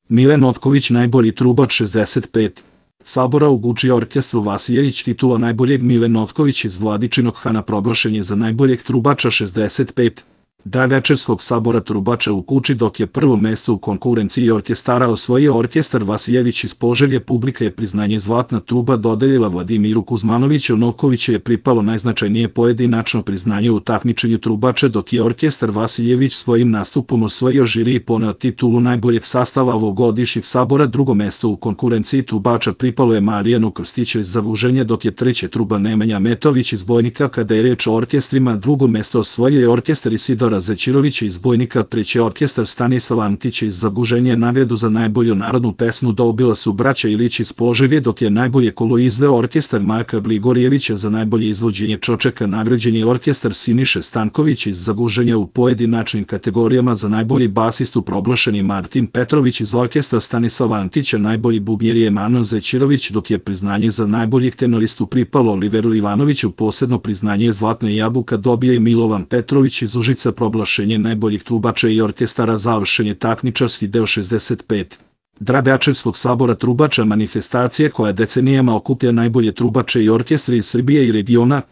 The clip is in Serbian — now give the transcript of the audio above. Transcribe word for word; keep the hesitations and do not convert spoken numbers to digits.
Mile Notković najbolji trubač šezdeset pet. Sabora u Guči orkestru Vasiljević titula najboljeg Mile Notković iz Vladičinog Hana proglašen je za najboljeg trubača šezdeset pet. Dan večerskog sabora trubača u Guči, dok je prvo mesto u konkurenciji orkestara osvojio orkestar Vasiljević iz Požege, publika je priznanje Zlatna truba dodelila Vladimiru Kuzmanoviću. Notkoviću je pripalo najznačajnije pojedinačno priznanje u takmičenju trubača, dok je orkestar Vasiljević svojim nastupom osvojio žiri i poneo titulu najboljeg sastava ovogodišnjeg sabora. Drugo mesto u konkurenciji trubača pripalo je Marijanu Krstiću iz Zavuženja, dok je treće truba Nemanja Metović iz Bojnika. Kada je reč o orkestrima, drugo mesto osvojio je orkestar Isidora Zećirovića iz Bojnika, treći orkestar Stanislava Antića iz Zaguženja. Nagradu za najbolju narodnu pesmu dobila su braća Ilić iz Požege, dok je najbolje kolo izveo orkestar Marka Gligorijevića. Za najbolje izvođenje Čočeka nagrađen je orkestar Siniše Stanković iz Zaguženja. U pojedinačnim kategorijama za najbolji basistu proglašen je Martin Petrović iz orkestra Stanislava Antića, najbolji bubnjar je Manon Zećirović, dok je priznanje za najboljeg tenoristu pripalo Oliveru Ivanoviću. Posebno priznanje Zlatna jabuka dobio je Milovan Petrović iz Užica. Proglašenje najboljih trubača i orkestara završen je takmičarski deo šezdeset pet. Drabeačevskog sabora trubača, manifestacija koja decenijama okuplja najbolje trubače i orkestre iz Srbije i regiona.